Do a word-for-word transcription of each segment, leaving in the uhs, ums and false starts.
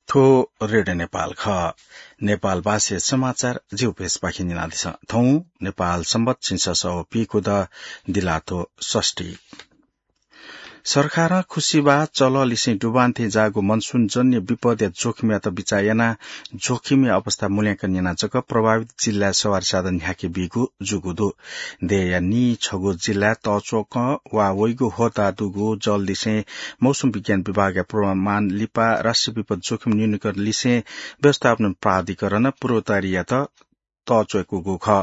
थ्व रेडियो नेपाल खः। नेपाल भाषाया समाचार जिगु पेजपाखें न्यनादिसँ। थौं नेपाल संवत् झिंछसः व पीखुदँ दिलात्व षष्ठी। सरकारं खुसिबाः चलः लिसें डुबान थें जाःगु मनसुनजन्य विपदया जोखिमयात बिचाः यानाः जोखिमया अवस्था मूल्यांकन यानाः जक प्रभावित जिल्लाय् सवारी साधन न्ह्याके बीगु जूगु दु। देय्‌या नीछगू जिल्लाय् तःच्वकं वा वइगु होता दुगु जल लिसें मौसम विज्ञान विभागया पूर्वानुमान लिपा राष्ट्रिय विपद जोखिम न्यूनीकरण लिसें व्यवस्थापन प्राधिकरणं पूर्व तयारीयात तःच्वय्‌कूगु खः।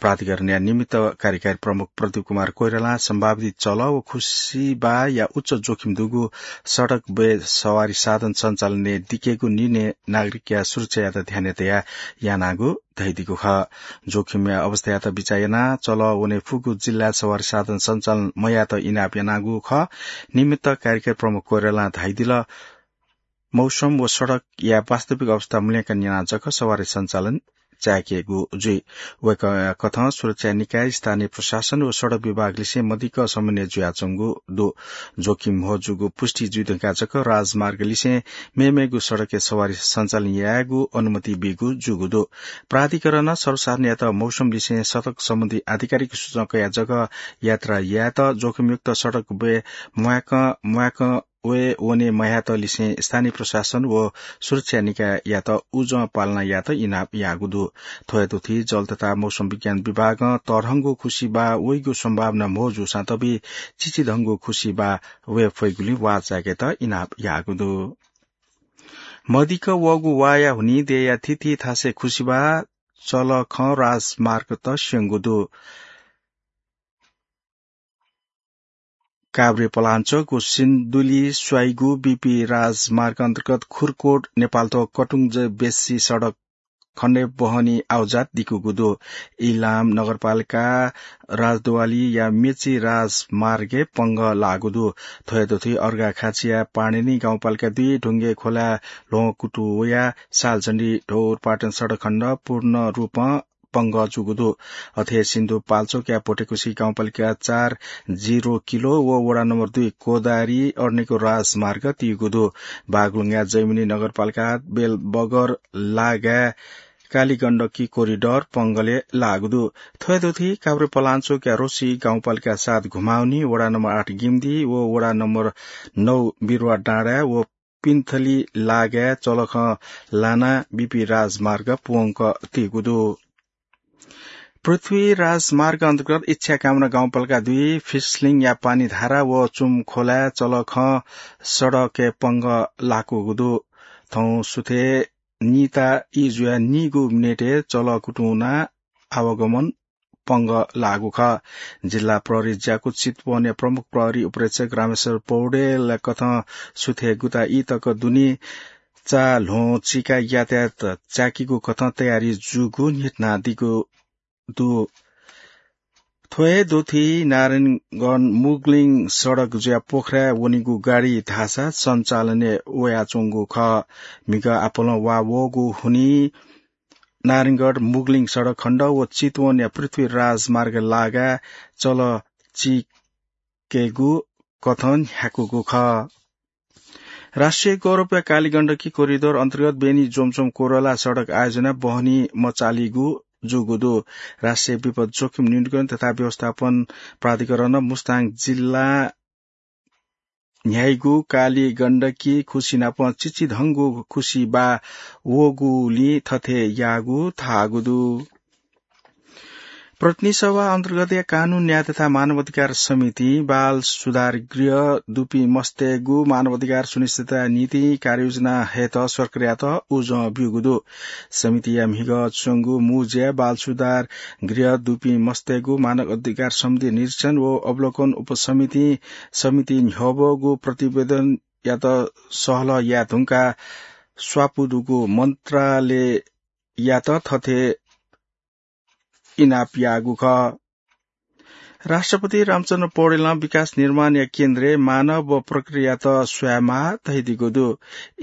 प्राधिकरणया निमित्त कार्यकारी प्रमुख प्रदीप कुमार कोइरालां सम्भावित चलः व खुसिबाःया उच्च जोखिम दुगु सडक ब्वय् सवारी साधन सञ्चालनय् दिकेगु निर्णय नागरिकया सुरक्षायात ध्यानय् तयाः यानागु धयादीगु खः। जोखिमया अवस्थायात बिचाः यानाः चलः वने फुगु जिल्लाय् सवारी साधन सञ्चालन मयायेत इनाप यानागु खः। निमित्त कार्यकारी प्रमुख कोइरालां धयादिल, मौसम व सडकया वास्तविक अवस्था मूल्यांकन यानाः जक सवारी सञ्चालन चाय्‌केगु जुइ। वय्‌कःया कथं सुरक्षा निकाय, स्थानीय प्रशासन व सडक विभाग लिसें मदिक्क समन्वय जुयाच्वंगु दु। जोखिम म्हो जूगु पुष्टि जुइ धुंकाः जक राजमार्ग लिसें मेमेगु सडकय् सवारी सञ्चालन यायेगु अनुमति बीगु जूगु दु। प्राधिकरणं सर्वसाधारणयात मौसम लिसें सडक सम्बन्धी आधिकारिक सूचना कयाः जक यात्रा यायेत, जोखिमयुक्त सडक ब्वय् म्वाय्‌कं म्वाय्‌कं वये वने मह्यात लिसें स्थानीय प्रशासन व सुरक्षा निकाययात उजं पालना यायेत इनाप याःगु दु। थ्व हे तुति जल तथा मौसम विज्ञान विभागं तःधंगु खुसिबाः वइगु सम्भावना म्हो जूसां तबि चिचिधंगु खुसिबाः वये फइगुलिं वाः चाय्‌केत इनाप याःगु दु। मदिक्क वःगु वाःया हुनिं देय्‌या थीथी थासय् खुसिबाः चलखं राजमार्गत स्यंगु दु। काभ्रे पलाञ्चोक व सिन्धुली स्वाइगु बीपी राजमार्ग अन्तर्गत खुरकोट नेपालथ्व कटुङ जय बेसी सडक खण्डय् बहनी आवजात दिकूगु दु। इलाम नगरपालिका राजद्वालीया मेची राजमार्गय् पंगः लाःगु दु। थ्व हे तुति अर्घाखाँचिया पाणिनि गाउँपालिका दुई ढुङ्गे खोला ल्ह्वं कुतुं वयाः सालझण्डी ढौरपाटन सडक खण्ड पूर्ण रूपं पंगः जूगु दु। अथे सिन्धुपाल्चोकया भोटेकुसी गाउँपालिका चार जिरो किलो व वडा नम्बर दुई कोदारी अड्नेको राजमार्ग तीगु दु। बागलुङया जैमिनी नगरपालिका बेलबगर लागाय् कालीगण्डकी कोरिडर पंगले लाःगु दु। थ्व हे तुति काभ्रे पलाञ्चोकया रोसी गाउँपालिका सात घुमाउनी, वडा नम्बर आठ गिम्दी व वडा नम्बर नौ बिरुवा डाँडा व पिन्थली लागाय् चलखं लानाः बीपी राजमार्ग प्वंक तीगु दु। पृथ्वी राजमार्ग अन्तर्गत इच्छाकामना गाउँपालिका दुई फिसलिङया पानीधारा व चुम खोलाय् चलखं सडकय् पंगः लाकूगु दु। थौं सुथय् निता ई जुयाः नीगू मिनेटय् चलः कुतुं वनाः आवागमन पंगः लाःगु खः। जिल्ला प्रहरी ज्याकू चितवनया प्रमुख प्रहरी उपरीक्षक रामेश्वर पौडेलया कथं सुथय् गुता ई तक दुने चा ल्ह्वं चिकाः यातायात चाकीगु कथं तयारी जूगु न्ह्यथनादीगु दु। थ्व हे तुति नारायणगढ मुगलिङ सडक जुयाः पोखराय् वनीगु गाडी धाःसा सञ्चालनय् वयाच्वंगु खः। म्हिगः आपालं वाः वःगु हुनिं नारायणगढ मुगलिङ सडक खण्ड व चितवनया पृथ्वी राजमार्ग लागाय् चलः चिकेगु कथं न्ह्याकूगु खः। राष्ट्रिय गौरवया कालीगण्डकी कोरिडोर अन्तर्गत बेनी जोमसोम कोरोला सडक आयोजनाय् बहनी मचालीगु जूगु दु। राष्ट्रिय विपद जोखिम न्यूनीकरण तथा व्यवस्थापन प्राधिकरणं मुस्ताङ जिल्ला न्ह्याइगु कालीगण्डकी खुसि नाप चिचिधंगु खुसिबाः वःगुलिं थथे याःगु धाःगु दु। प्रतिनिधि सभा अन्तर्गतया कानून, न्याय तथा मानवाधिकार समितिं बाल सुधार गृह दुपिं मस्तय्‌गु मानवाधिकार सुनिश्चितताया निंतिं कार्ययोजना हयेत सरकारयात उजं ब्यूगु दु। समितिया म्हिगः च्वंगु मुँज्याय् बाल सुधार गृह दुपिं मस्तय्‌गु मानवाधिकार सम्बन्धी निरीक्षण व अवलोकन उपसमितिं समितिं न्ह्यब्वःगु प्रतिवेदनयात सहलह याये धुंकाः स्वापू दुगु मन्त्रालययात थथे इनाप याःगु खः। राष्ट्रपति रामचन्द्र पौडेलं विकास निर्माणया केन्द्रय् मानव व प्रक्रियात स्वयेमाः धयादीगु दु।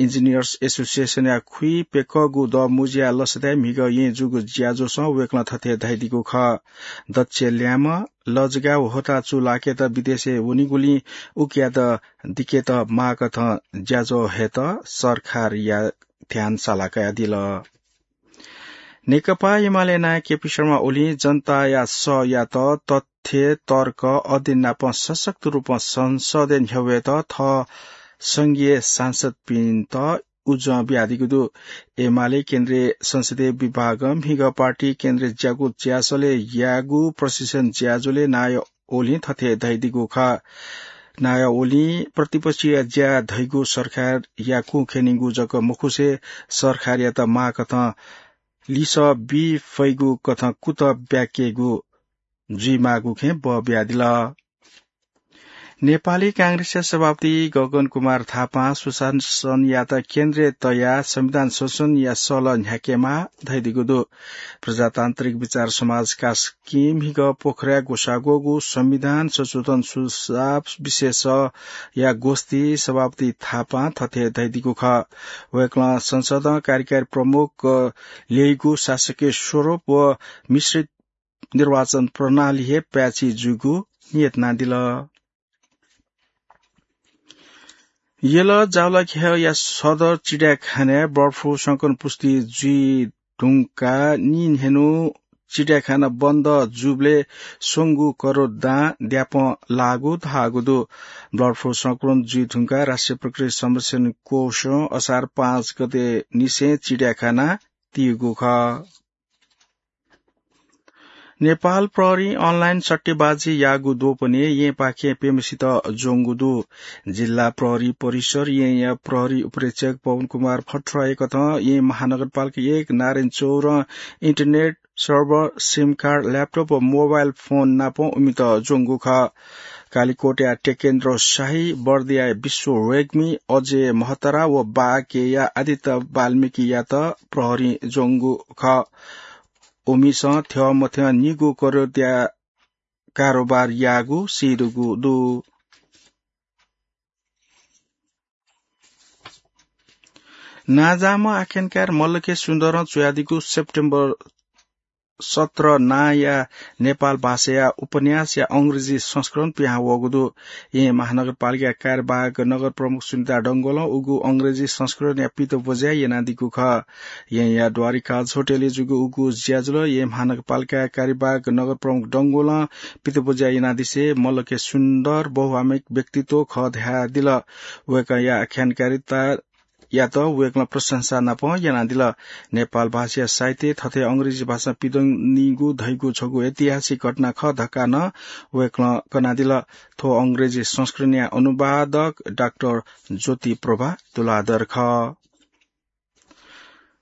इन्जिनियर्स एसोसिएसनया खुइप्यकःगु दःमुँज्याया लसताय् म्हिगः येँ जूगु ज्याझ्वलय् वय्‌कलं थथे धयादीगु खः। दक्ष ल्याय्म्ह, लजगाः व होता चूलाकेत विदेशय् वनीगुलिं उकियात दिकेत माःकथं ज्याझ्वः हयेत सरकारया ध्यान साला कयादिल। नेकपा एमाले नायः केपी शर्मा ओलीं जनताया सःयात तथ्य, तर्क, अध्ययन नाप सशक्त रूपं संसदय् न्ह्यब्वयेत थः संघीय सांसदपिन्त उजं बियादीगु दु। एमाले केन्द्रीय संसदीय विभागं म्हिगः पार्टी केन्द्रीय ज्याकू ज्यासलय् याःगु प्रशिक्षण ज्याझ्वलय् नायः ओलीं थथे धयादीगु खः। नायः ओलीं प्रतिपक्षया ज्या धइगु सरकारया कुं ख्यनीगु जक मखुसे सरकारयात माःकथं लिसः बी फइगु कथं कुतः ब्याकेगु जुइमाःगु खँय् बः बियादिल। नेपाली कांग्रेसया सभापति गगन कुमार थापां सुशासनयात केन्द्रय् तयाः संविधान संशोधनया सल्लाह न्ह्याकेमाः धयादीगु दु। प्रजातान्त्रिक विचार समाजका स्कीम हिगः पोखराय् ग्वसाः ग्वःगु संविधान संशोधन सुझाव विशेषया गोष्ठी सभापति थापां थथे धयादीगु खः। वय्कलं संसदं कार्यकारी प्रमुख ल्यइगु शासकीय स्वरूप व मिश्रित निर्वाचन प्रणाली हे पाय्छि जूगु नियत यानादिल। यल जावलाखेलया सदर चिडियाखानाय् बर्ड फ्लू संक्रमण पुष्टि जुइ धुंकाः निन्हय्न्हु चिडियाखाना बन्द जूबलय् स्वंगू करोड दां द्यापं लाःगु धाःगु दु। बर्ड फ्लू संक्रमण जुइ धुंकाः राष्ट्रिय प्रकृति संरक्षण कोषं असार पाँच गते निसें चिडियाखाना तीगु खः। नेपाल प्रहरीं अनलाइन सट्टेबाजी याःगु द्वपनय् येँपाखें प्यम्हसित ज्वंगु दु। जिल्ला प्रहरी परिसर येँया प्रहरी उपरीक्षक पवन कुमार भट्टराईकथं येँ महानगरपालिका एक नारायण चौरं internet server, SIM card, laptop व मोबाइल फोन नाप उमित ज्वंगु खः। कालिकोटया टेकेन्द्र शाही, बर्दिया विश्व रेग्मी, अजय महतरा व बाँकेया आदित्य वाल्मीकियात प्रहरीं ज्वंगु खः। उमिसं थ्यंमथ्यं निगू करोडया कारोबार याःगु सीदुगु दु। नांजाःम्ह आख्यानकार मल्ल के सुन्दरं च्वयादीगु सेप्टेम्बर सत्र नांया नेपाल भाषाया उपन्यासया अंग्रेजी संस्करण पिहां वःगु दु। येँ महानगरपालिकाया कार्यवाहक नगर प्रमुख सुनिता डंगोलं उगु अंग्रेजी संस्करणया पितब्वज्या यानादीगु खः। येँया द्वारिका होटलय् जूगु उगु ज्याझ्वलय् येँ महानगरपालिकाया कार्यवाहक नगर प्रमुख डंगोलं पितब्वज्या यानादिसे मल्ल के सुन्दर बहुआमिक व्यक्तित्व खः धयादिल। वय्कःया आख्यानकारिता यात वय्कलं प्रशंसा नाप यानादिल। नेपाल भाषाया साहित्य थथे अंग्रेजी भाषां पिदनीगु धइगु छगू ऐतिहासिक घटना खः धकाः नं वय्कलं कनादिल। थ्व अंग्रेजी संस्करणया अनुवादक डाक्टर ज्योति प्रभा तुलाधर खः।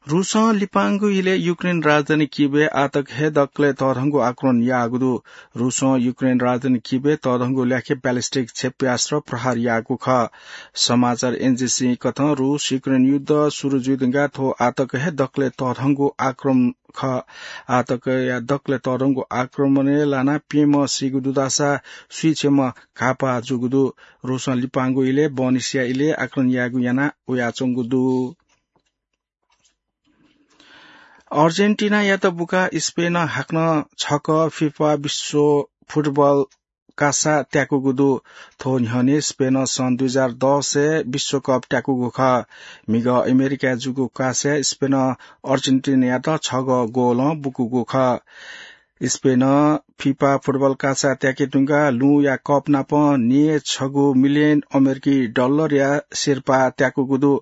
रूसं लिपांगु इलय् युक्रेन राजधानी किभय् आःतक हे दकलय् तःधंगु आक्रमण याःगु दु। रूसं युक्रेन राजधानी किभय् तःधंगु ल्याखय् ब्यालिस्टिक क्षेप्यास्त्र प्रहार याःगु खः। समाचार एजेन्सीकथं रूस युक्रेन युद्ध सुरु जुइधुंकाः थ्व आःतक हे दकलय् तःधंगु आक्रमण खः। आःतकया दकलय् तःधंगु आक्रमणय् लानाः प्यम्ह सीगु दु धाःसा स्वीछेम्ह घाःपाः जूगु दु। रूसं लिपांगु इलय् बहनिसिया इलय् आक्रमण यायेगु याना वयाच्वंगु दु। अर्जेन्टिनायात बुकाः स्पेनं हाकनं छकः फिफा विश्व फुटबल कासा त्याकूगु दु। थ्व न्ह्यःने स्पेनं सन् दुई हजार दसय् विश्वकप त्याकूगु खः। म्हिगः अमेरिकाय् जूगु कासाय् स्पेनं अर्जेन्टिनायात छगः गोलं बुकूगु खः। स्पेनं फिफा फुटबल कासा त्याके धुंकाः लुँया कप नाप न्यय् छगू मिलियन अमेरिकी डलरया सिरपाः त्याकूगु दु।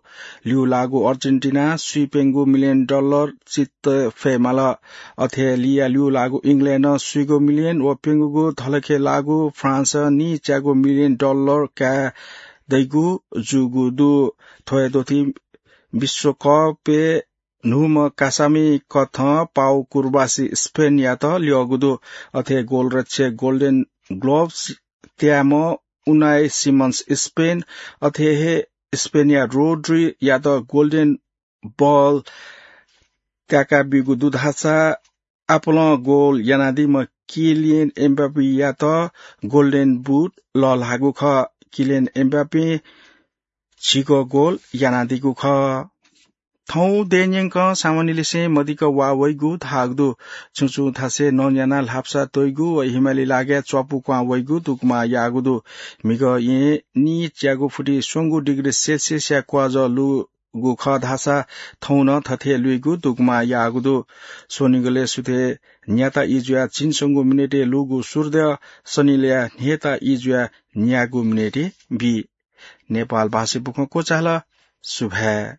ल्यूलाःगु अर्जेन्टिनां स्वीप्यंगू मिलियन डलर चित्त फयेमाल। अथे लिया ल्यूलाःगु इङ्ल्याण्डं स्वीगू मिलियन व प्यंगूगू धलखे लाःगु फ्रान्सं नीच्यागू मिलियन डलर काये दइगु जूगु दु। थ्व हे दथुइ विश्वकपय् न्हूम्ह कासामि कथं पाउ कुर्बासी स्पेनयात ल्यःगु दु। अथे गोलरक्षक गोल्डन ग्लोभ्स त्याम्ह उनाइ सिमन्स स्पेन, अथे हे स्पेनया रोड्रीयात गोल्डन बल त्याका बीगु दु धाःसा आपालं गोल यानादीम्ह किलियन एमबाप्पेयात गोल्डन बुट लःल्हाःगु खः। किलियन एमबाप्पें झिगः गोल यानादीगु खः। थौं देय्‌न्यंकं सामान्यलिसें मदिक्क वा वइगु धाःगु दु। छुं छुं थासय् नं न्यानाः ल्हापसा तइगु व हिमालय लागाय् च्वापु क्वहां वइगु दुगुमाः याःगु दु। म्हिगः येँय् नीच्यागू फुति स्वंगू डिग्री सेल्सियसया क्वाःजः लु गु खः धाःसा थौं नं थथे लुइगु दुगुमा याःगु दु। स्वनिगलय् सुथय् न्याता ई जुयाः झिंस्वंगु मिनेटय् लूगु सूर्योदय सनिलय् न्हय्‌ता ई जुयाः न्यागू मिनेटय् बी। नेपाल भाषाय् बुखँ क्वचाल। सुभाय्।